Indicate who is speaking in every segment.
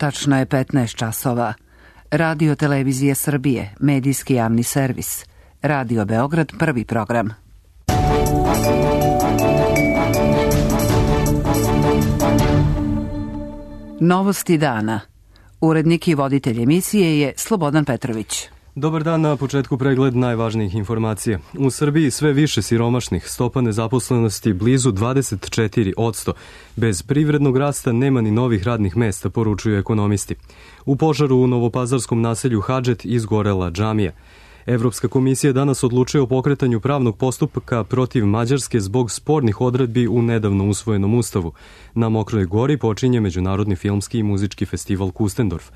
Speaker 1: Tačno je 15 časova. Radio Televizije Srbije, medijski javni servis. Radio Beograd, prvi program. Novosti dana. Urednik i voditelj emisije je Slobodan Petrović.
Speaker 2: Dobar dan, na početku pregled najvažnijih informacija. U Srbiji sve više siromašnih, stopa nezaposlenosti blizu 24%. Bez privrednog rasta nema ni novih radnih mesta, poručuju ekonomisti. U požaru u novopazarskom naselju Hadžet izgorela džamija. Evropska komisija danas odlučuje o pokretanju pravnog postupka protiv Mađarske zbog spornih odredbi u nedavno usvojenom ustavu. Na Mokroj Gori počinje Međunarodni filmski i muzički festival Kustendorf.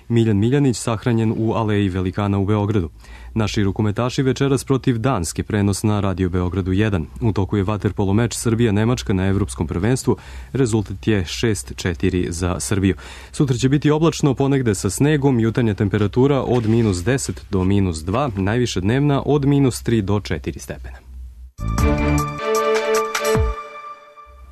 Speaker 2: Miljan Miljanić sahranjen u Aleji Velikana u Beogradu. Naši rukometaši večeras protiv Danske, prenos na Radio Beogradu 1. U toku je vaterpolo meč Srbija-Nemačka na evropskom prvenstvu. Rezultat je 6-4 za Srbiju. Sutra će biti oblačno, ponegde sa snegom, jutarnja temperatura od -10 do -2, najviše dnevna od -3 do 4 stepena.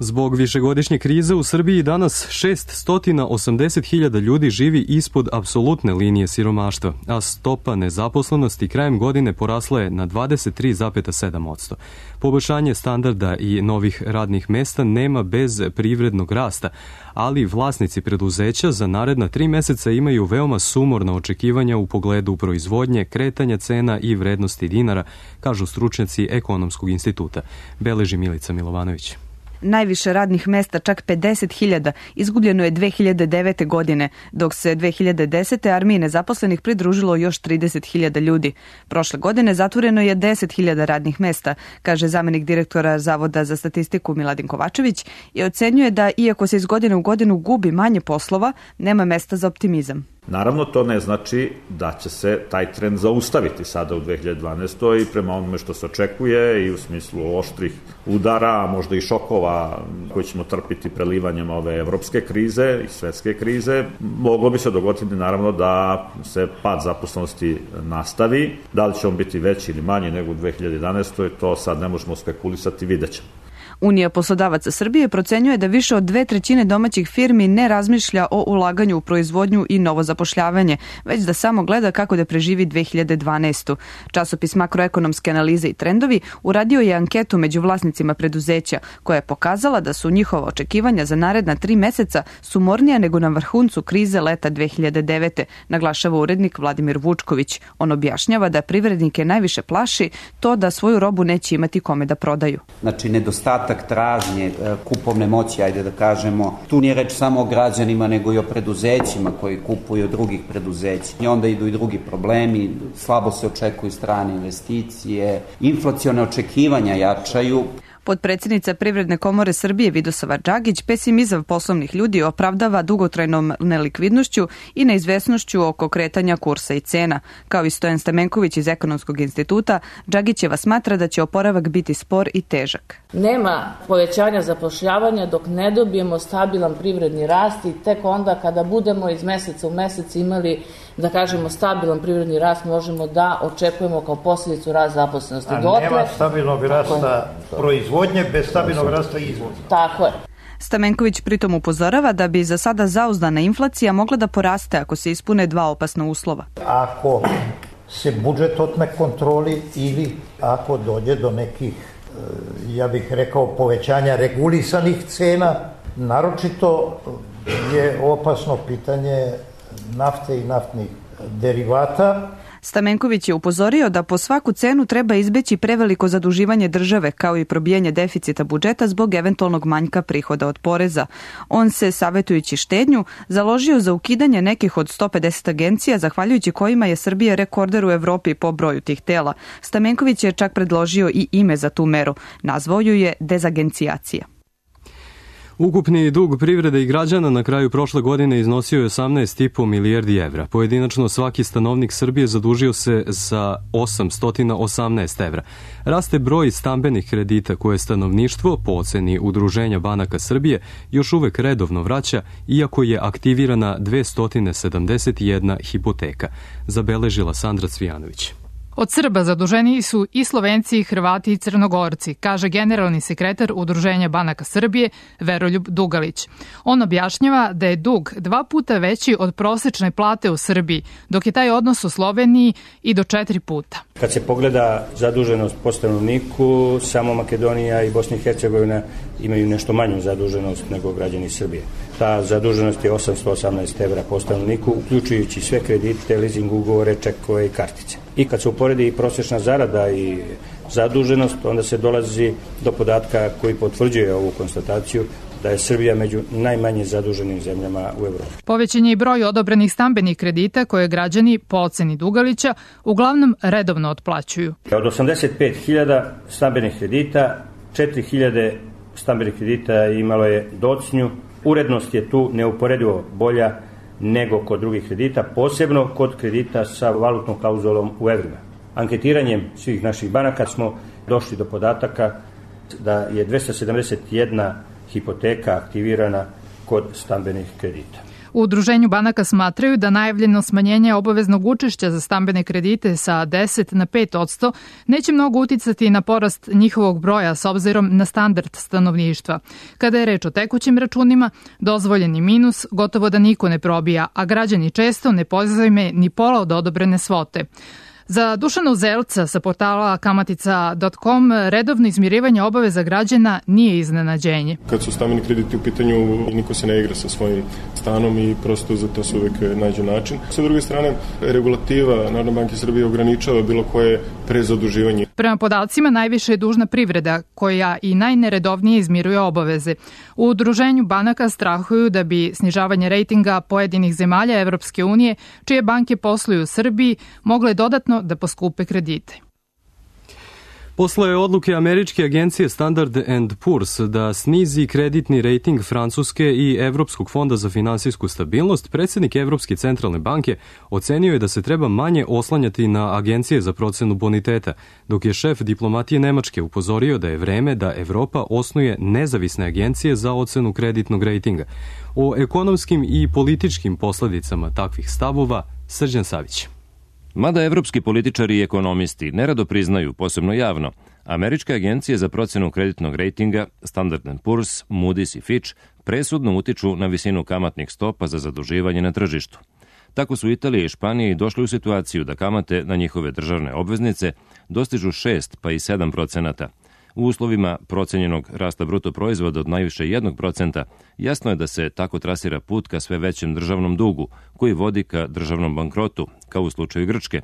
Speaker 2: Zbog višegodišnje krize u Srbiji danas 680.000 ljudi živi ispod apsolutne linije siromaštva, a stopa nezaposlenosti krajem godine porasla je na 23,7%. Poboljšanje standarda i novih radnih mesta nema bez privrednog rasta, ali vlasnici preduzeća za naredna 3 meseca imaju veoma sumorna očekivanja u pogledu proizvodnje, kretanja cena i vrednosti dinara, kažu stručnjaci Ekonomskog instituta. Beleži Milica Milovanović.
Speaker 3: Najviše radnih mesta, čak 50.000, izgubljeno je 2009. godine, dok se 2010. armiji nezaposlenih pridružilo još 30.000 ljudi. Prošle godine zatvoreno je 10.000 radnih mesta, kaže zamenik direktora Zavoda za statistiku Miladin Kovačević i ocenjuje da, iako se iz godine u godinu gubi manje poslova, nema mesta za optimizam.
Speaker 4: Naravno, to ne znači da će se taj trend zaustaviti sada u 2012. i prema onome što se očekuje i u smislu oštrih udara, a možda i šokova koji ćemo trpiti prelivanjem ove evropske krize i svetske krize, moglo bi se dogoditi naravno da se pad zaposlenosti nastavi. Da li će on biti veći ili manji nego u 2011. to sad ne možemo spekulisati, vidjet ćemo.
Speaker 3: Unija poslodavaca Srbije procenjuje da više od 2/3 domaćih firmi ne razmišlja o ulaganju u proizvodnju i novo zapošljavanje, već da samo gleda kako da preživi 2012. Časopis Makroekonomske analize i trendovi uradio je anketu među vlasnicima preduzeća, koja je pokazala da su njihova očekivanja za naredna 3 meseca sumornija nego na vrhuncu krize leta 2009. naglašava urednik Vladimir Vučković. On objašnjava da privrednike najviše plaši to da svoju robu neće imati kome da prodaju.
Speaker 5: Znači, nedostatak tražnje, kupovne moći, ajde da kažemo. Tu nije reč samo o građanima, nego i o preduzećima koji kupuju od drugih preduzeća. I onda idu i drugi problemi, slabo se očekuju strane investicije, inflacione očekivanja jačaju.
Speaker 3: Potpredsjednica Privredne komore Srbije Vidosava Đagić pesimizam poslovnih ljudi opravdava dugotrajnom nelikvidnošću i neizvesnošću oko kretanja kursa i cena. Kao i Stojan Stamenković iz Ekonomskog instituta, Đagićeva smatra da će oporavak biti spor i težak.
Speaker 6: Nema povećanja zapošljavanja dok ne dobijemo stabilan privredni rast i tek onda kada budemo iz meseca u mesec imali, da kažemo, stabilan privredni rast, možemo da očekujemo kao posljedicu rast zaposlenosti.
Speaker 7: A nema stabilnog rasta proizvodnje bez stabilnog rasta izvoza.
Speaker 6: Tako je.
Speaker 3: Stamenković pritom upozorava da bi za sada zauzdana inflacija mogla da poraste ako se ispune 2 opasna uslova.
Speaker 7: Ako se budžet otme kontroli ili ako dođe do nekih, ja bih rekao, povećanja regulisanih cena, naročito je opasno pitanje nafte i naftnih derivata.
Speaker 3: Stamenković je upozorio da po svaku cenu treba izbeći preveliko zaduživanje države kao i probijanje deficita budžeta zbog eventualnog manjka prihoda od poreza. On se, savetujući štednju, založio za ukidanje nekih od 150 agencija, zahvaljujući kojima je Srbija rekorder u Evropi po broju tih tela. Stamenković je čak predložio i ime za tu meru. Nazvao ju je dezagencijacija.
Speaker 2: Ukupni dug privrede i građana na kraju prošle godine iznosio je 18,5 milijardi evra. Pojedinačno svaki stanovnik Srbije zadužio se za 818 evra. Raste broj stambenih kredita koje stanovništvo, po oceni Udruženja banaka Srbije, još uvek redovno vraća, iako je aktivirana 271 hipoteka, zabeležila Sandra Cvijanović.
Speaker 8: Od Srba zaduženiji su i Slovenci, i Hrvati i Crnogorci, kaže generalni sekretar Udruženja banaka Srbije Veroljub Dugalić. On objašnjava da je dug 2 puta veći od prosečne plate u Srbiji, dok je taj odnos u Sloveniji i do 4 puta.
Speaker 9: Kad se pogleda zaduženost po stanovniku, samo Makedonija i Bosna i Hercegovina imaju nešto manju zaduženost nego građani Srbije. Ta zaduženost je 818 evra po stanovniku, uključujući sve kredite, leasing ugovore, čekove i kartice. I kad se uporedi prosječna zarada i zaduženost, onda se dolazi do podatka koji potvrđuje ovu konstataciju da je Srbija među najmanje zaduženim zemljama u Evropi.
Speaker 8: Povećan je i broj odobrenih stambenih kredita koje građani, po oceni Dugalića, uglavnom redovno otplaćuju.
Speaker 9: Od 85.000 stambenih kredita, 4.000 stambenih kredita imalo je docnju. Urednost je tu neuporedivo bolja nego kod drugih kredita, posebno kod kredita sa valutnom klauzulom u evrima. Anketiranjem svih naših banaka smo došli do podataka da je 271 hipoteka aktivirana kod stambenih kredita.
Speaker 8: U Udruženju banaka smatraju da najavljeno smanjenje obaveznog učešća za stambene kredite sa 10 na 5% neće mnogo uticati na porast njihovog broja s obzirom na standard stanovništva. Kada je reč o tekućim računima, dozvoljeni minus gotovo da niko ne probija, a građani često ne pozajme ni pola od odobrene svote. Za Dušana Uzelca sa portala kamatica.com redovno izmirivanje obaveza građana nije iznenađenje.
Speaker 10: Kad su stambeni krediti u pitanju, niko se ne igra sa svojim stanom i prosto za to se uvek nađe način. Sa druge strane, regulativa Narodne banke Srbije ograničava bilo koje prezaduživanje.
Speaker 8: Prema podacima, najviše je dužna privreda, koja i najneredovnije izmiruje obaveze. U Udruženju banaka strahuju da bi snižavanje rejtinga pojedinih zemalja Evropske unije, čije banke posluju u Srbiji, mogle dodatno da poskupe kredite.
Speaker 2: Posle odluke američke agencije Standard & Poor's da snizi kreditni rejting Francuske i Evropskog fonda za finansijsku stabilnost, predsjednik Evropske centralne banke ocenio je da se treba manje oslanjati na agencije za procenu boniteta, dok je šef diplomatije Nemačke upozorio da je vreme da Evropa osnuje nezavisne agencije za ocenu kreditnog rejtinga. O ekonomskim i političkim posledicama takvih stavova Srđan Savić.
Speaker 11: Mada evropski političari i ekonomisti nerado priznaju, posebno javno, američke agencije za procenu kreditnog rejtinga Standard & Poor's, Moody's i Fitch presudno utiču na visinu kamatnih stopa za zaduživanje na tržištu. Tako su Italija i Španija došli u situaciju da kamate na njihove državne obveznice dostižu 6 pa i 7%. U uslovima procenjenog rasta bruto proizvoda od najviše 1%, jasno je da se tako trasira put ka sve većem državnom dugu, koji vodi ka državnom bankrotu, kao u slučaju Grčke.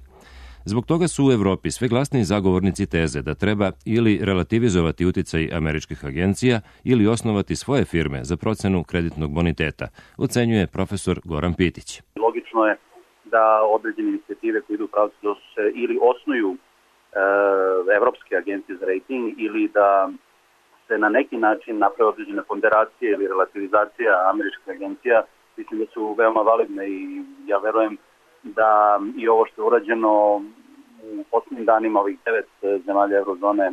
Speaker 11: Zbog toga su u Evropi sve glasniji zagovornici teze da treba ili relativizovati uticaj američkih agencija ili osnovati svoje firme za procenu kreditnog boniteta, ocenjuje profesor Goran Pitić.
Speaker 12: Logično je da određene inicijative koje idu u pravcu da se ili osnuju evropske agencije za rating ili da se na neki način naprave određene ponderacije ili relativizacija američkih agencija, mislim da su veoma validne i ja verujem da i ovo što je urađeno u poslednjim danima ovih 9 zemalja eurozone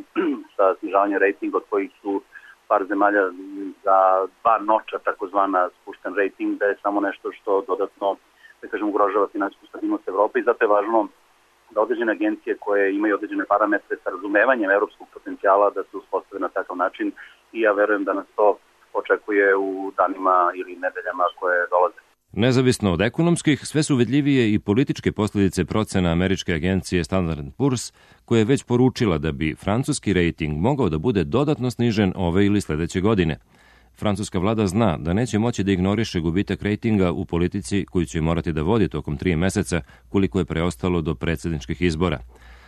Speaker 12: sa snižavanjem ratinga, od kojih su par zemalja za 2 noča takozvana spušten rating, da je samo nešto što dodatno, da kažem, ugrožava finansijsku stabilnost Evrope i zato je važno da određene agencije koje imaju određene parametre sa razumevanjem evropskog potencijala da se uspostave na takav način i ja verujem da nas to očekuje u danima ili nedeljama koje dolaze.
Speaker 11: Nezavisno od ekonomskih, sve su vidljivije i političke posljedice procena američke agencije Standard & Poor's, koja je već poručila da bi francuski rejting mogao da bude dodatno snižen ove ili sledeće godine. Francuska vlada zna da neće moći da ignoriše gubitak rejtinga u politici koju će morati da vodi tokom 3 meseca, koliko je preostalo do predsjedničkih izbora.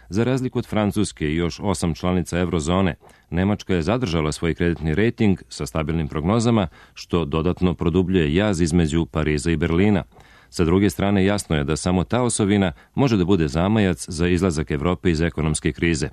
Speaker 11: Za razliku od Francuske i još 8 članica eurozone, Nemačka je zadržala svoj kreditni rejting sa stabilnim prognozama, što dodatno produbljuje jaz između Pariza i Berlina. Sa druge strane, jasno je da samo ta osovina može da bude zamajac za izlazak Evrope iz ekonomske krize.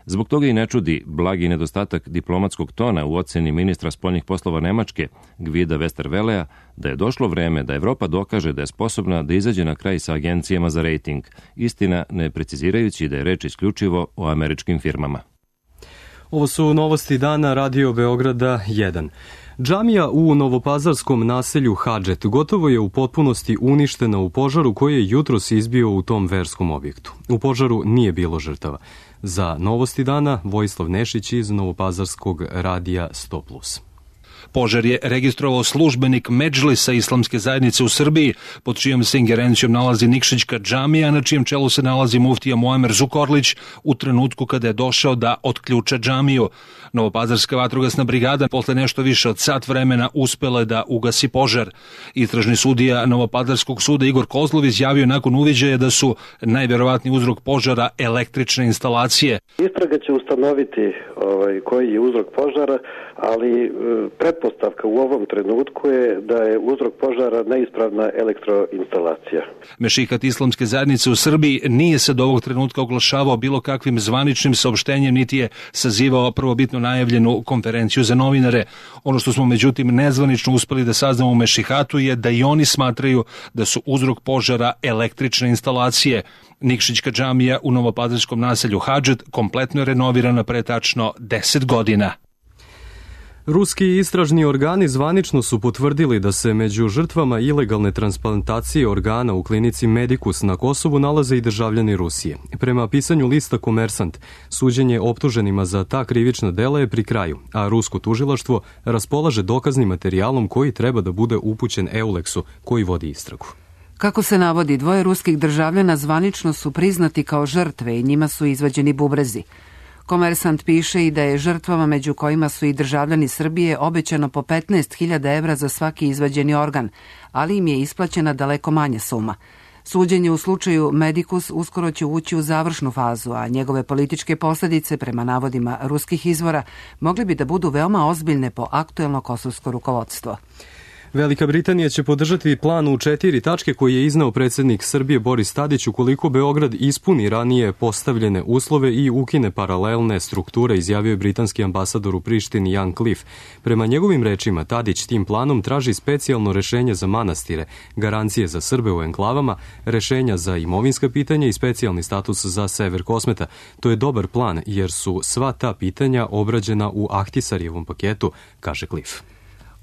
Speaker 11: Zbog toga i ne čudi blagi nedostatak diplomatskog tona u oceni ministra spoljnih poslova Nemačke, Gvida Westerwellea, da je došlo vreme da Evropa dokaže da je sposobna da izađe na kraj sa agencijama za rejting, istina ne precizirajući da je reč isključivo o američkim firmama.
Speaker 2: Ovo su novosti dana Radio Beograda 1. Džamija u novopazarskom naselju Hadžet gotovo je u potpunosti uništena u požaru koji je jutros izbio u tom verskom objektu. U požaru nije bilo žrtava. Za novosti dana Vojislav Nešić iz novopazarskog radija 100+.
Speaker 13: Požar je registrovao službenik Medžlisa Islamske zajednice u Srbiji, pod čijom se ingerencijom nalazi Nikšićka džamija, na čijem čelu se nalazi muftija Muamer Zukorlić u trenutku kada je došao da otključa džamiju. Novopazarska vatrogasna brigada posle nešto više od sat vremena uspela je da ugasi požar. Istražni sudija Novopazarskog suda Igor Kozlov izjavio nakon uviđaja da su najverovatniji uzrok požara električne instalacije.
Speaker 14: Istraga će ustanoviti koji je uzrok požara, ali pretpostavka u ovom trenutku je da je uzrok požara neispravna elektroinstalacija.
Speaker 13: Mešihat Islamske zajednice u Srbiji nije se do ovog trenutka oglašavao bilo kakvim zvaničnim saopštenjem, niti je sazivao prvobitno najavljenu konferenciju za novinare. Ono što smo međutim nezvanično uspeli da saznamo u Mešihatu je da i oni smatraju da su uzrok požara električne instalacije. Nikšićka džamija u novopazarskom naselju Hadžet kompletno je renovirana pre tačno 10 godina.
Speaker 2: Ruski istražni organi zvanično su potvrdili da se među žrtvama ilegalne transplantacije organa u klinici Medicus na Kosovu nalaze i državljani Rusije. Prema pisanju lista Komersant, suđenje optuženima za ta krivična dela je pri kraju, a rusko tužilaštvo raspolaže dokaznim materijalom koji treba da bude upućen Euleksu, koji vodi istragu.
Speaker 1: Kako se navodi, 2 ruskih državljana zvanično su priznati kao žrtve i njima su izvađeni bubrezi. Komersant piše i da je žrtvama, među kojima su i državljani Srbije, obećano po 15.000 evra za svaki izvađeni organ, ali im je isplaćena daleko manja suma. Suđenje u slučaju Medicus uskoro će ući u završnu fazu, a njegove političke posljedice, prema navodima ruskih izvora, mogli bi da budu veoma ozbiljne po aktuelno kosovsko rukovodstvo.
Speaker 2: Velika Britanija će podržati plan u 4 tačke koji je izneo predsjednik Srbije Boris Tadić ukoliko Beograd ispuni ranije postavljene uslove i ukine paralelne strukture, izjavio je britanski ambasador u Prištini Jan Cliff. Prema njegovim rečima, Tadić tim planom traži specijalno rešenje za manastire, garancije za Srbe u enklavama, rešenja za imovinska pitanja i specijalni status za sever Kosmeta. To je dobar plan jer su sva ta pitanja obrađena u Ahtisarijevom paketu, kaže Cliff.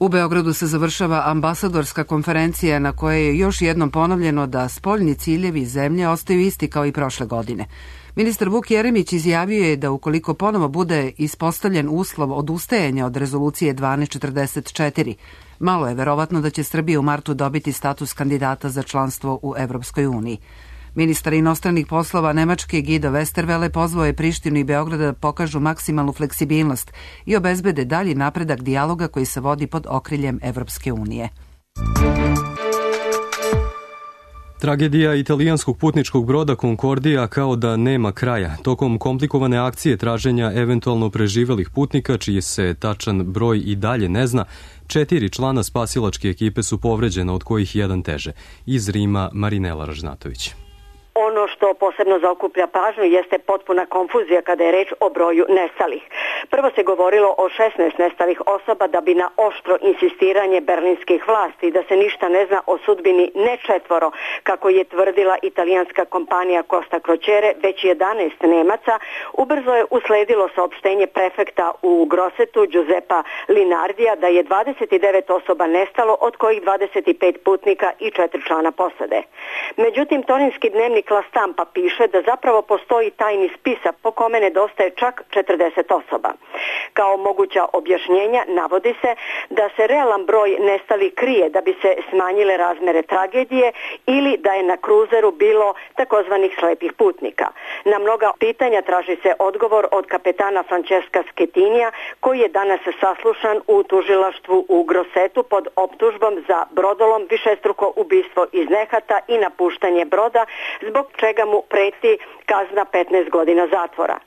Speaker 1: U Beogradu se završava ambasadorska konferencija na kojoj je još jednom ponovljeno da spoljni ciljevi zemlje ostaju isti kao i prošle godine. Ministar Vuk Jeremić izjavio je da ukoliko ponovo bude ispostavljen uslov odustajanja od rezolucije 1244, malo je verovatno da će Srbija u martu dobiti status kandidata za članstvo u Evropskoj uniji. Ministar inostranih poslova Nemačke Guido Westerwelle pozvao je Prištinu i Beograda da pokažu maksimalnu fleksibilnost i obezbede dalji napredak dijaloga koji se vodi pod okriljem Evropske unije.
Speaker 2: Tragedija italijanskog putničkog broda Concordija kao da nema kraja. Tokom komplikovane akcije traženja eventualno preživelih putnika, čiji se tačan broj i dalje ne zna, 4 člana spasilačke ekipe su povređena, od kojih jedan teže. Iz Rima Marinela Ražnatović.
Speaker 15: Ono što posebno zaokuplja pažnju jeste potpuna konfuzija kada je reč o broju nestalih. Prvo se govorilo o 16 nestalih osoba da bi na oštro insistiranje berlinskih vlasti da se ništa ne zna o sudbini ne 4, kako je tvrdila italijanska kompanija Costa Crociere, već 11 Nemaca, ubrzo je usledilo saopštenje prefekta u Grossetu Giuseppa Linardija da je 29 osoba nestalo, od kojih 25 putnika i 4 člana posade. Međutim, torinski dnevnik La Stampa piše da zapravo postoji tajni spisak po kome nedostaje čak 40 osoba. Kao moguća objašnjenja navodi se da se realan broj nestalih krije da bi se smanjile razmere tragedije ili da je na kruzeru bilo takozvanih slepih putnika. Na mnoga pitanja traži se odgovor od kapetana Francesca Schettinija, koji je danas saslušan u tužilaštvu u Grossetu pod optužbom za brodolom, višestruko ubistvo iz nehata i napuštanje broda, zbog čega mu preti kazna 15 godina zatvora.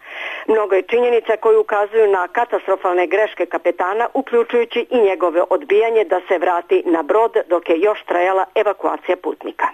Speaker 15: Mnogo je činjenica koji ukazuju na katastrofalne greške kapetana, uključujući i njegove odbijanje da se vrati na brod dok je još trajala evakuacija putnika.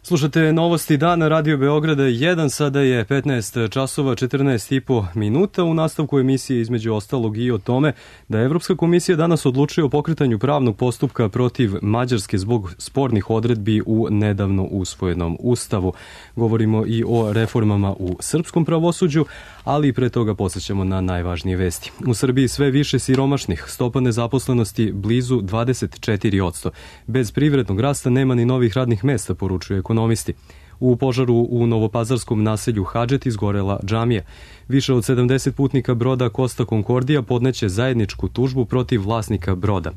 Speaker 2: Slušate novosti dana Radio Beograda 1, sada je 15 časova 14,5 minuta. U nastavku emisije između ostalog i o tome da je Evropska komisija danas odlučila o pokretanju pravnog postupka protiv Mađarske zbog spornih odredbi u nedavno usvojenom ustavu. Govorimo i o reformama u srpskom pravosuđu, Ali pre toga podsjećamo na najvažnije vesti. U Srbiji sve više siromašnih, stopa nezaposlenosti blizu 24%. Bez privrednog rasta nema ni novih radnih mesta, poručuju ekonomisti. U požaru u novopazarskom naselju Hadžet izgorela džamija. Više od 70 putnika broda Costa Concordia podneće zajedničku tužbu protiv vlasnika broda.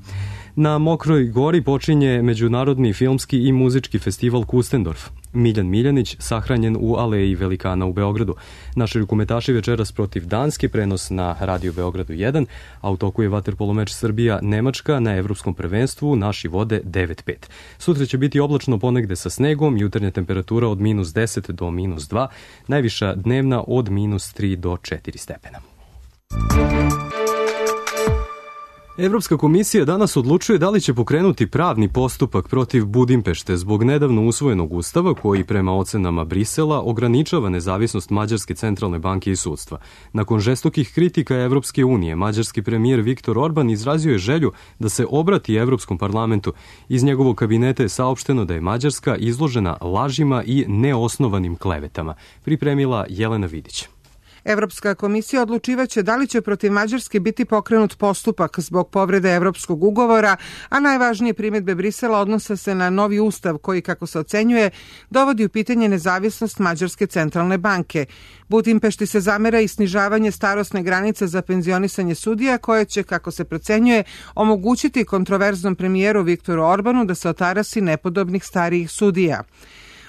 Speaker 2: Na Mokroj gori počinje Međunarodni filmski i muzički festival Kustendorf. Miljan Miljanić sahranjen u Aleji Velikana u Beogradu. Naši rukometaši večeras protiv Danske, prenos na Radio Beogradu 1, a u toku je vaterpolo meč Srbija-Nemačka na evropskom prvenstvu, naši vode 9-5. Sutra će biti oblačno ponegde sa snegom, jutarnja temperatura od -10 do -2, najviša dnevna od -3 do 4 stepena. Evropska komisija danas odlučuje da li će pokrenuti pravni postupak protiv Budimpešte zbog nedavno usvojenog ustava koji prema ocenama Brisela ograničava nezavisnost Mađarske centralne banke i sudstva. Nakon žestokih kritika Evropske unije, mađarski premijer Viktor Orban izrazio je želju da se obrati Evropskom parlamentu. Iz njegovog kabineta je saopšteno da je Mađarska izložena lažima i neosnovanim klevetama. Pripremila Jelena Vidić.
Speaker 16: Evropska komisija odlučivaće da li će protiv Mađarske biti pokrenut postupak zbog povrede evropskog ugovora, a najvažnije primedbe Brisela odnose se na novi ustav koji, kako se ocenjuje, dovodi u pitanje nezavisnost Mađarske centralne banke. Budimpešti se zamera i snižavanje starosne granice za penzionisanje sudija koje će, kako se procenjuje, omogućiti kontroverznom premijeru Viktoru Orbanu da se otarasi nepodobnih starijih sudija.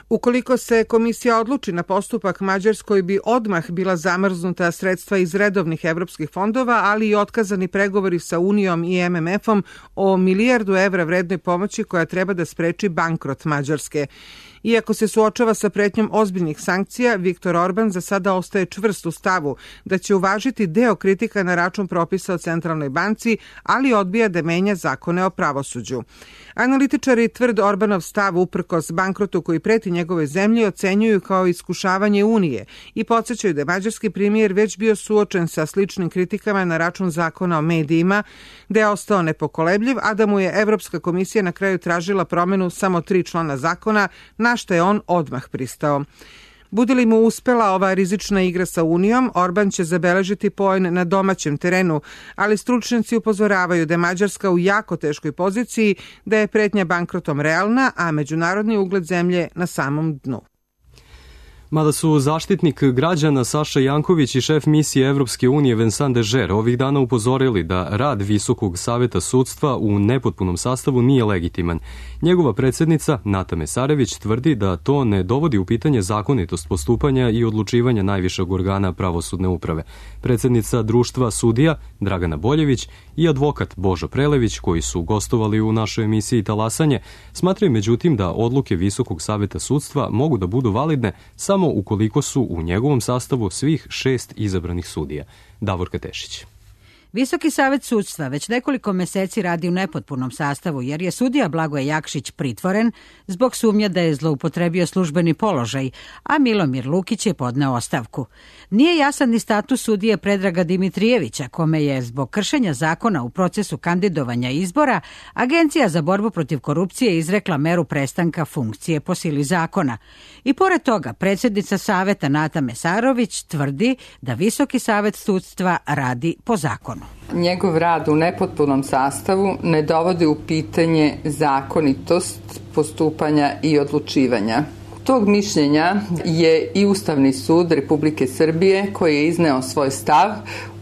Speaker 16: Ukoliko se komisija odluči na postupak, Mađarskoj bi odmah bila zamrznuta sredstva iz redovnih evropskih fondova, ali i otkazani pregovori sa Unijom i MMF-om o milijardu evra vrednoj pomoći koja treba da spreči bankrot Mađarske. Iako se suočava sa pretnjom ozbiljnih sankcija, Viktor Orban za sada ostaje čvrst u stavu da će uvažiti deo kritika na račun propisa o centralnoj banci, ali odbija da menja zakone o pravosuđu. Analitičari tvrd Orbanov stav uprkos bankrotu koji preti njegove zemlje ocenjuju kao iskušavanje Unije i podsjećaju da je mađarski premijer već bio suočen sa sličnim kritikama na račun zakona o medijima, da je ostao nepokolebljiv, a da mu je Evropska komisija na kraju tražila promenu samo 3 člana zakona, na što je on odmah pristao. Bude li mu uspela ova rizična igra sa Unijom, Orban će zabeležiti poen na domaćem terenu, ali stručnjaci upozoravaju da je Mađarska u jako teškoj poziciji, da je pretnja bankrotom realna, a međunarodni ugled zemlje na samom dnu.
Speaker 2: Mada su zaštitnik građana Saša Janković i šef misije Evropske unije Vincent Dežer ovih dana upozorili da rad Visokog saveta sudstva u nepotpunom sastavu nije legitiman. Njegova predsjednica Nata Mesarević tvrdi da to ne dovodi u pitanje zakonitost postupanja i odlučivanja najvišeg organa pravosudne uprave. Predsjednica društva sudija Dragana Boljević i advokat Božo Prelević, koji su gostovali u našoj emisiji Talasanje, smatraju međutim da odluke Visokog saveta sudstva mogu da budu validne samo ukoliko su u njegovom sastavu svih 6 izabranih sudija. Davorka Tešić.
Speaker 17: Visoki savet sudstva već nekoliko meseci radi u nepotpunom sastavu jer je sudija Blagoje Jakšić pritvoren zbog sumnje da je zloupotrebio službeni položaj, a Milomir Lukić je podneo ostavku. Nije jasan ni status sudije Predraga Dimitrijevića, kome je zbog kršenja zakona u procesu kandidovanja izbora Agencija za borbu protiv korupcije izrekla meru prestanka funkcije po sili zakona. I pored toga, predsjednica saveta Nata Mesarović tvrdi da Visoki savet sudstva radi po zakonu.
Speaker 18: Njegov rad u nepotpunom sastavu ne dovodi u pitanje zakonitost postupanja i odlučivanja. Tog mišljenja je i Ustavni sud Republike Srbije koji je izneo svoj stav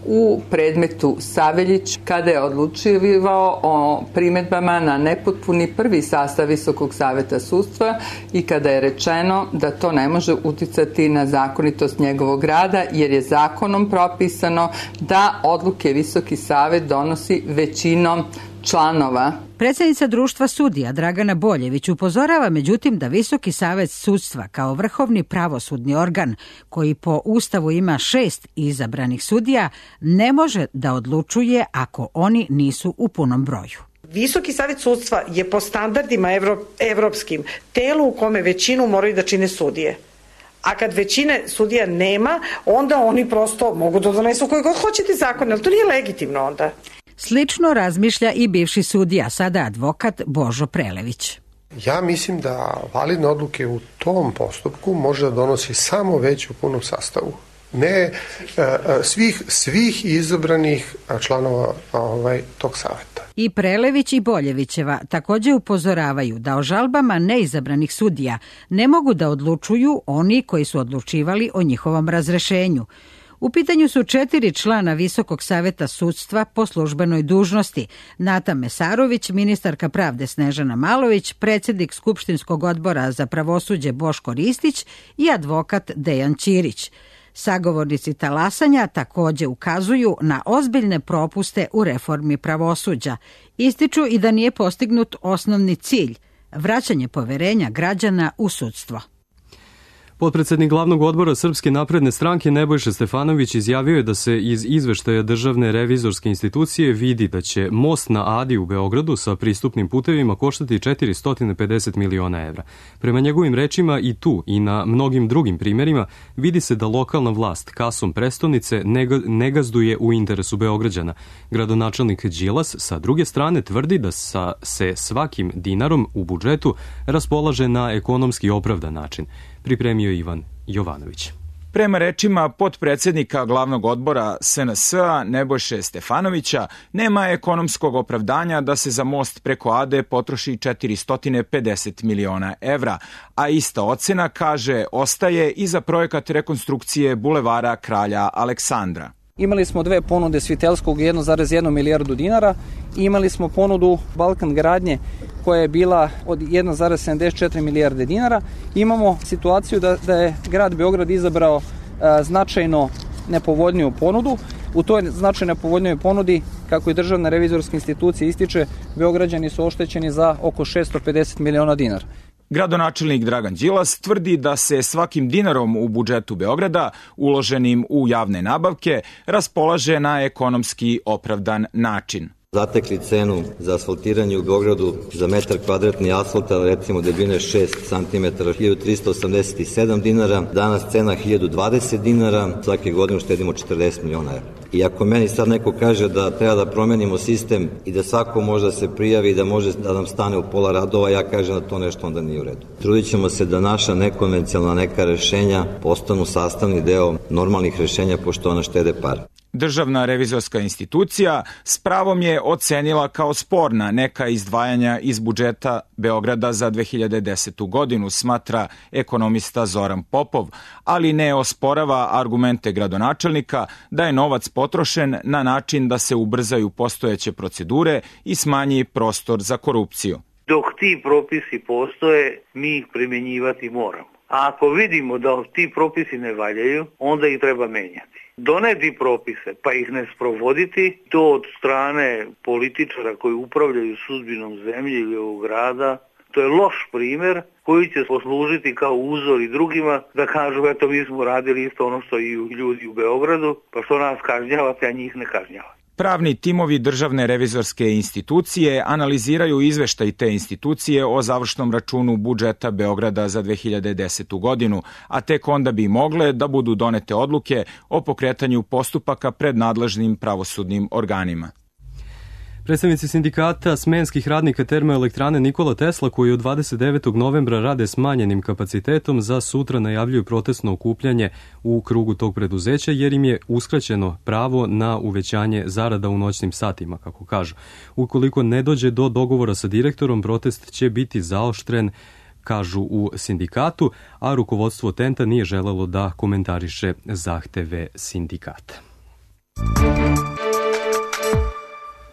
Speaker 18: u predmetu Saveljić kada je odlučivao o primedbama na nepotpuni prvi sastav Visokog saveta sudstva i kada je rečeno da to ne može uticati na zakonitost njegovog rada jer je zakonom propisano da odluke Visoki savet donosi većinom članova.
Speaker 17: Predsjednica društva sudija Dragana Boljević upozorava međutim da Visoki savet sudstva kao vrhovni pravosudni organ koji po Ustavu ima 6 izabranih sudija ne može da odlučuje ako oni nisu u punom broju.
Speaker 19: Visoki savet sudstva je po standardima evropskim telo u kome većinu moraju da čine sudije. A kad većine sudija nema, onda oni prosto mogu da donesu koji god hoćete zakon, ali to nije legitimno onda.
Speaker 17: Slično razmišlja i bivši sudija, sada advokat Božo Prelević.
Speaker 20: Ja mislim da validne odluke u tom postupku može da donosi samo već u punom sastavu. ne svih izabranih članova tog saveta.
Speaker 17: I Prelević i Boljevićeva takođe upozoravaju da o žalbama neizabranih sudija ne mogu da odlučuju oni koji su odlučivali o njihovom razrešenju. U pitanju su 4 člana Visokog saveta sudstva po službenoj dužnosti: Nata Mesarović, ministarka pravde Snežana Malović, predsjednik Skupštinskog odbora za pravosuđe Boško Ristić i advokat Dejan Ćirić. Sagovornici talasanja takođe ukazuju na ozbiljne propuste u reformi pravosuđa. Ističu i da nije postignut osnovni cilj – vraćanje poverenja građana u sudstvo.
Speaker 2: Potpredsednik glavnog odbora Srpske napredne stranke Nebojša Stefanović izjavio je da se iz izveštaja Državne revizorske institucije vidi da će most na Adi u Beogradu sa pristupnim putevima koštati 450 miliona evra. Prema njegovim rečima i tu i na mnogim drugim primjerima vidi se da lokalna vlast kasom prestonice ne gazduje u interesu Beograđana. Gradonačelnik Đilas sa druge strane tvrdi da se svakim dinarom u budžetu raspolaže na ekonomski opravdan način. Pripremio Ivan Jovanović.
Speaker 21: Prema rečima potpredsednika glavnog odbora SNS-a Nebojše Stefanovića, nema ekonomskog opravdanja da se za most preko Ade potroši 450 miliona evra, a ista ocena, kaže, ostaje i za projekat rekonstrukcije bulevara Kralja Aleksandra.
Speaker 22: Imali smo 2 ponude Svitelskog 1,1 milijardu dinara i imali smo ponudu Balkan gradnje koja je bila od 1,74 milijarde dinara. Imamo situaciju da je grad Beograd izabrao značajno nepovoljniju ponudu. U toj značajno nepovoljnoj ponudi, kako i Državna revizorska institucija ističe, Beograđani su oštećeni za oko 650 miliona dinara.
Speaker 21: Gradonačelnik Dragan Đilas tvrdi da se svakim dinarom u budžetu Beograda, uloženim u javne nabavke, raspolaže na ekonomski opravdan način.
Speaker 23: Zatekli cenu za asfaltiranje u Beogradu za metar kvadratni asfalta, recimo debljine 6 cm, 1387 dinara, danas cena 1020 dinara, svake godine uštedimo 40 miliona evra. I ako meni sad neko kaže da treba da promenimo sistem i da svako može da se prijavi i da može da nam stane u pola radova, ja kažem da to nešto onda nije u redu. Trudit ćemo se da naša nekonvencionalna neka rešenja postanu sastavni deo normalnih rešenja, pošto ona štede pare.
Speaker 21: Državna revizorska institucija s pravom je ocenila kao sporna neka izdvajanja iz budžeta Beograda za 2010. godinu, smatra ekonomista Zoran Popov, ali ne osporava argumente gradonačelnika da je novac potrošen na način da se ubrzaju postojeće procedure i smanji prostor za korupciju.
Speaker 24: Dok ti propisi postoje, mi ih primjenjivati moramo. A ako vidimo da ti propisi ne valjaju, onda ih treba menjati. Doneti propise pa ih ne sprovoditi, to od strane političara koji upravljaju sudbinom zemlje ili ovog grada, to je loš primjer koji će poslužiti kao uzor i drugima da kažu eto mi smo radili isto ono što i ljudi u Beogradu, pa što nas kažnjavate, a njih ne kažnjavate.
Speaker 21: Pravni timovi Državne revizorske institucije analiziraju izveštaj te institucije o završnom računu budžeta Beograda za 2010. godinu, a tek onda bi mogle da budu donete odluke o pokretanju postupaka pred nadležnim pravosudnim organima.
Speaker 2: Predstavnici sindikata smenskih radnika termoelektrane Nikola Tesla, koji od 29. novembra rade smanjenim kapacitetom, za sutra najavljuju protestno okupljanje u krugu tog preduzeća, jer im je uskraćeno pravo na uvećanje zarada u noćnim satima, kako kažu. Ukoliko ne dođe do dogovora sa direktorom, protest će biti zaoštren, kažu u sindikatu, a rukovodstvo Tenta nije želelo da komentariše zahteve sindikata.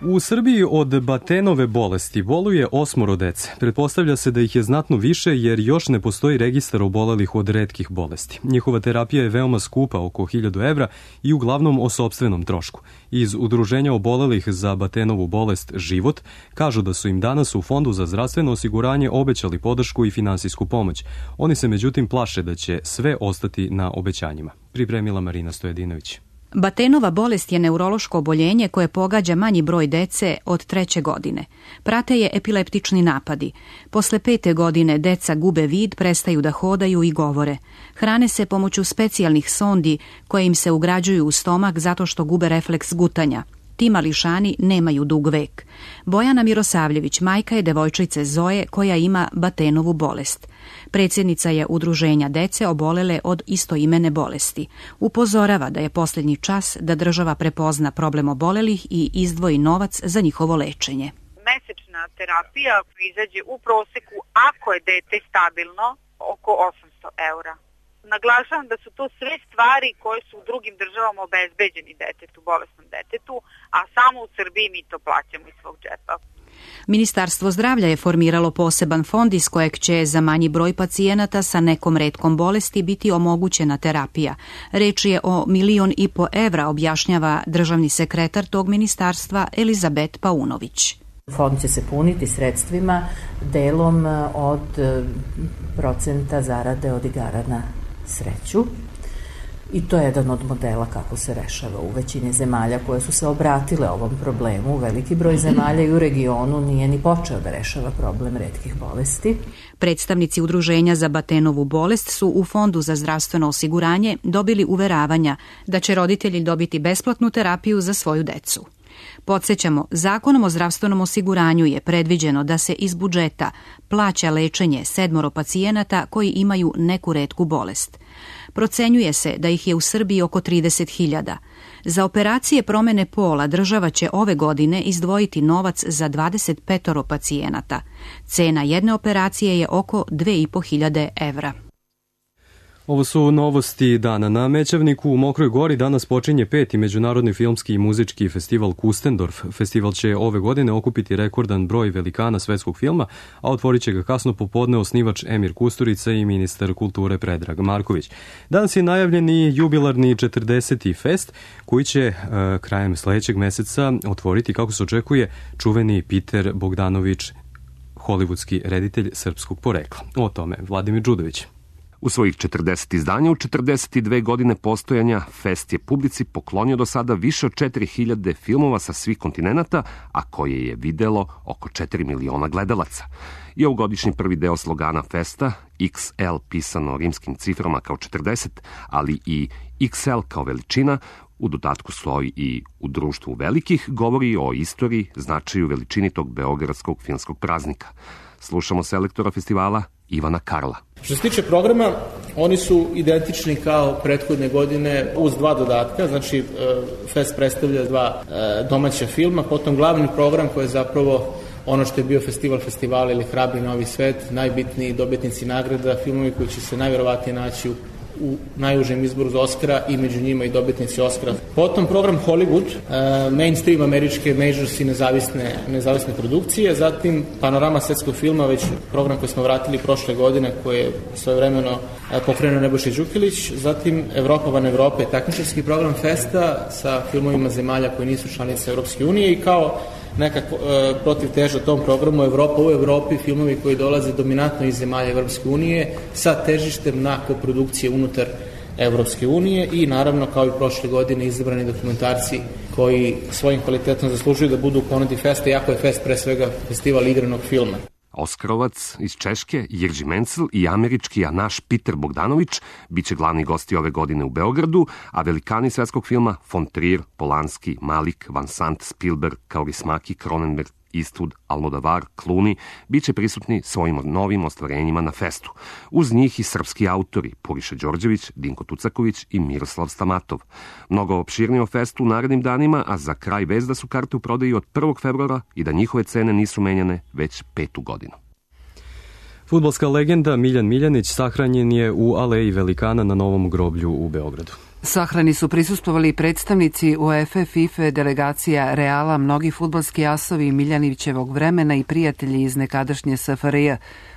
Speaker 2: U Srbiji od Batenove bolesti boluje 8 dece. Pretpostavlja se da ih je znatno više jer još ne postoji registar obolelih od retkih bolesti. Njihova terapija je veoma skupa, oko 1000 evra, i uglavnom o sopstvenom trošku. Iz Udruženja obolelih za Batenovu bolest Život kažu da su im danas u Fondu za zdravstveno osiguranje obećali podršku i finansijsku pomoć. Oni se međutim plaše da će sve ostati na obećanjima. Pripremila Marina Stojedinović.
Speaker 25: Batenova bolest je neurološko oboljenje koje pogađa manji broj dece od 3. godine. Prate je epileptični napadi. Posle 5. godine deca gube vid, prestaju da hodaju i govore. Hrane se pomoću specijalnih sondi koje im se ugrađuju u stomak zato što gube refleks gutanja. Ti mališani nemaju dug vek. Bojana Mirosavljević majka je devojčice Zoe koja ima Batenovu bolest. Predsjednica je udruženja dece obolele od istoimene bolesti. Upozorava da je posljednji čas da država prepozna problem obolelih i izdvoji novac za njihovo lečenje.
Speaker 3: Mesečna terapija izađe u proseku, ako je dete stabilno, oko 800 eura. Naglašavam da su to sve stvari koje su u drugim državama obezbeđeni detetu, bolesnom detetu, a samo u Srbiji mi to plaćamo iz svog džepa.
Speaker 25: Ministarstvo zdravlja je formiralo poseban fond iz kojeg će za manji broj pacijenata sa nekom retkom bolesti biti omogućena terapija. Reč je o 1,5 miliona evra, objašnjava državni sekretar tog ministarstva Elizabet Paunović.
Speaker 4: Fond će se puniti sredstvima delom od procenta zarade od igara na sreću i to je jedan od modela kako se rešava u većini zemalja koje su se obratile ovom problemu. Veliki broj zemalja i u regionu nije ni počeo da rešava problem retkih bolesti.
Speaker 25: Predstavnici Udruženja za Batenovu bolest su u Fondu za zdravstveno osiguranje dobili uveravanja da će roditelji dobiti besplatnu terapiju za svoju decu. Podsjećamo, Zakonom o zdravstvenom osiguranju je predviđeno da se iz budžeta plaća lečenje 7 pacijenata koji imaju neku retku bolest. Procenjuje se da ih je u Srbiji oko 30.000. Za operacije promene pola država će ove godine izdvojiti novac za 25 pacijenata. Cena jedne operacije je oko 2.500 evra.
Speaker 2: Ovo su novosti dana. Na Mećavniku u Mokroj Gori danas počinje 5. Međunarodni filmski i muzički festival Kustendorf. Festival će ove godine okupiti rekordan broj velikana svetskog filma, a otvorit će ga kasno popodne osnivač Emir Kusturica i ministar kulture Predrag Marković. Danas je najavljen i jubilarni 40. fest koji će krajem sledećeg meseca otvoriti, kako se očekuje, čuveni Peter Bogdanović, hollywoodski reditelj srpskog porekla. O tome Vladimir Đudović.
Speaker 5: U svojih 40 izdanja, u 42 godine postojanja, Fest je publici poklonio do sada više od 4000 filmova sa svih kontinenata, a koje je videlo oko 4 miliona gledalaca. I ovogodišnji prvi deo slogana Festa, XL pisano rimskim ciframa kao 40, ali i XL kao veličina, u dodatku stoji i u društvu velikih, govori o istoriji, značaju, veličini tog beogradskog filmskog praznika. Slušamo selektora festivala Ivana Karla.
Speaker 6: Što se tiče programa, oni su identični kao prethodne godine uz 2 dodatka, znači Fest predstavlja 2 domaća filma, potom glavni program koji je zapravo ono što je bio festival festivala ili Hrabri novi svet, najbitniji dobitnici nagrada, filmovi koji će se najverovatnije naći u najužem izboru za Oscara i među njima i dobitnici Oscara. Potom program Hollywood, mainstream američke majors i nezavisne produkcije, zatim Panorama svetskog filma, već program koji smo vratili prošle godine, koji je svojevremeno pokrenuo Nebojša Đukilić, zatim Evropa van Evrope, takmičarski program Festa sa filmovima zemalja koji nisu članice Evropske unije i kao nekako protiv teža tom programu Evropa u Evropi, filmovi koji dolaze dominantno iz zemalja Evropske unije sa težištem na koprodukcije unutar Evropske unije i naravno kao i prošle godine izabrani dokumentarci koji svojim kvalitetom zaslužuju da budu u ponudi Festa, iako je Fest pre svega festival igranog filma.
Speaker 5: Oskarovac iz Češke, Jirži Mencel i američki naš Peter Bogdanović biće glavni gosti ove godine u Beogradu, a velikani svetskog filma von Trier, Polanski, Malik, Van Sant, Spielberg, Kaurismäki, Cronenberg, Eastwood, Almodovar, Clooney biće prisutni svojim novim ostvarenjima na Festu. Uz njih i srpski autori Puriša Đorđević, Dinko Tucaković i Miroslav Stamatov. Mnogo opširnije o Festu u narednim danima, a za kraj vest da su karte u prodaji od 1. februara i da njihove cene nisu menjane već 5. godinu.
Speaker 2: Fudbalska legenda Miljan Miljanić sahranjen je u Aleji velikana na Novom groblju u Beogradu.
Speaker 1: Sahrani su prisustvovali predstavnici UEFA, FIFA, delegacija Reala, mnogi fudbalski asovi Miljanićevog vremena i prijatelji iz nekadašnje SFRJ,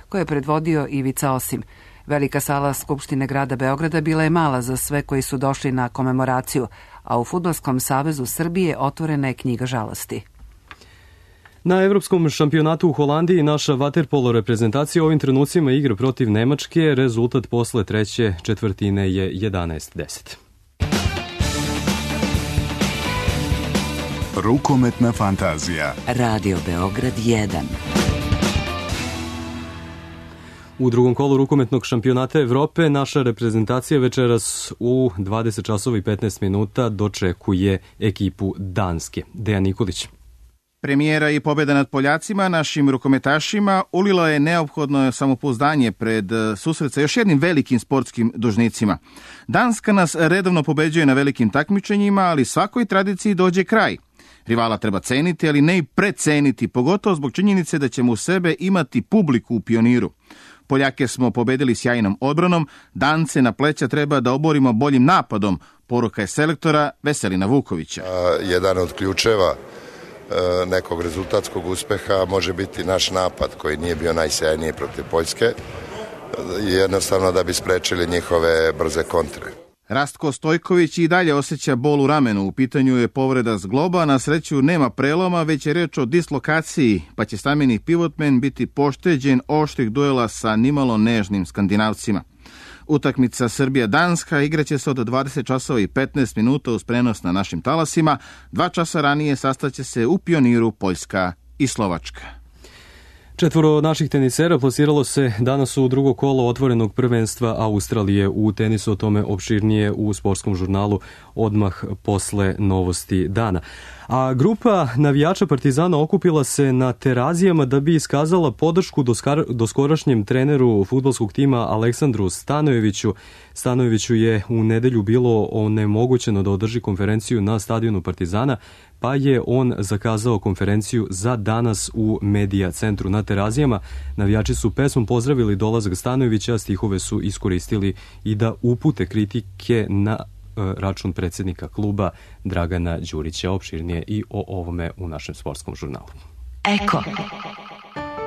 Speaker 1: koje je predvodio Ivica Osim. Velika sala Skupštine grada Beograda bila je mala za sve koji su došli na komemoraciju, a u Fudbalskom savezu Srbije otvorena je knjiga žalosti.
Speaker 2: Na Evropskom šampionatu u Holandiji naša vaterpolo reprezentacija ovim trenucima igra protiv Nemačke. Rezultat posle treće četvrtine je 11-10.
Speaker 7: Rukometna fantazija.
Speaker 26: Radio Beograd 1.
Speaker 2: U drugom kolu rukometnog šampionata Evrope naša reprezentacija večeras u 20 časova i 15 minuta dočekuje ekipu Danske. Dejan Nikolić.
Speaker 7: Premijera i pobjeda nad Poljacima, našim rukometašima, ulila je neophodno samopouzdanje pred susret sa još jednim velikim sportskim dužnicima. Danska nas redovno pobeđuje na velikim takmičenjima, ali svakoj tradiciji dođe kraj. Rivala treba ceniti, ali ne i preceniti, pogotovo zbog činjenice da ćemo u sebe imati publiku u Pioniru. Poljake smo pobedili sjajnom odbranom, Dance na pleća treba da oborimo boljim napadom, poruka je selektora Veselina Vukovića.
Speaker 8: Jedan od ključeva nekog rezultatskog uspeha može biti naš napad koji nije bio najsjajniji protiv Poljske, jednostavno da bi sprečili njihove brze kontre.
Speaker 7: Rastko Stojković i dalje osjeća bol u ramenu. U pitanju je povreda zgloba, na sreću nema preloma, već je reč o dislokaciji, pa će stameni pivotmen biti pošteđen oštrih duela sa nimalo nežnim Skandinavcima. Utakmica Srbija-Danska igraće se od 20 časova i 15 minuta uz prenos na našim talasima. 2 časa ranije sastaće se u Pioniru Poljska i Slovačka.
Speaker 2: 4 naših tenisera plasiralo se danas u drugo kolo otvorenog prvenstva Australije u tenisu, o tome opširnije u sportskom žurnalu odmah posle novosti dana. A grupa navijača Partizana okupila se na Terazijama da bi iskazala podršku doskorašnjem treneru fudbalskog tima Aleksandru Stanojeviću. Stanojeviću je u nedelju bilo onemogućeno da održi konferenciju na stadionu Partizana, pa je on zakazao konferenciju za danas u Medija centru na Terazijama. Navijači su pesmom pozdravili dolazak Stanojevića, a stihove su iskoristili i da upute kritike na račun predsjednika kluba Dragana Đurića. Opširnije i o ovome u našem sportskom žurnalu.
Speaker 9: Eko.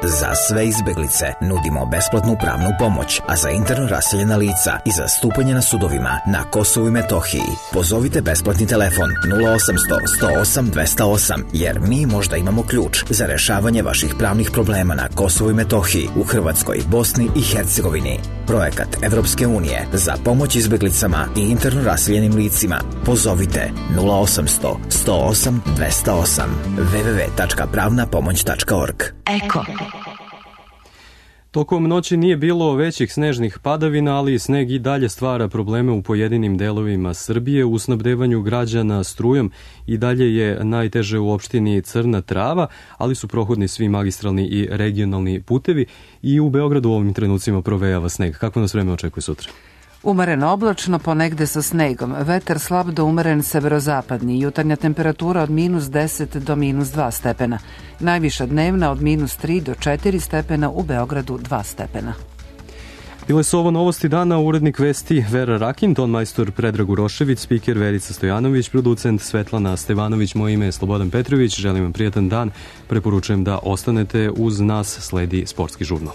Speaker 9: Za sve izbeglice nudimo besplatnu pravnu pomoć, a za interno raseljena lica i za stupanje na sudovima na Kosovu i Metohiji pozovite besplatni telefon 0800 108 208, jer mi možda imamo ključ za rešavanje vaših pravnih problema na Kosovu i Metohiji, u Hrvatskoj, Bosni i Hercegovini. Projekat Evropske unije za pomoć izbeglicama i interno raseljenim licima. Pozovite 0800 108 208 www.pravnapomoć.org. Eko.
Speaker 2: Tokom noći nije bilo većih snežnih padavina, ali sneg i dalje stvara probleme u pojedinim delovima Srbije. U snabdevanju građana strujom i dalje je najteže u opštini Crna Trava, ali su prohodni svi magistralni i regionalni putevi i u Beogradu u ovim trenucima provejava sneg. Kako nas vreme očekuje sutra?
Speaker 1: Umereno oblačno, ponegde sa snegom. Vetar slab do umeren severozapadni. Jutarnja temperatura od -10 do -2 stepena. Najviša dnevna od -3 do 4 stepena, u Beogradu 2 stepena.
Speaker 2: Bile su ovo novosti dana, urednik vesti Vera Rakin, ton majstor Predrag Urošević, spiker Verica Stojanović, producent Svetlana Stevanović, moje ime je Slobodan Petrović. Želim vam prijatan dan, preporučujem da ostanete uz nas, sledi sportski žurnal.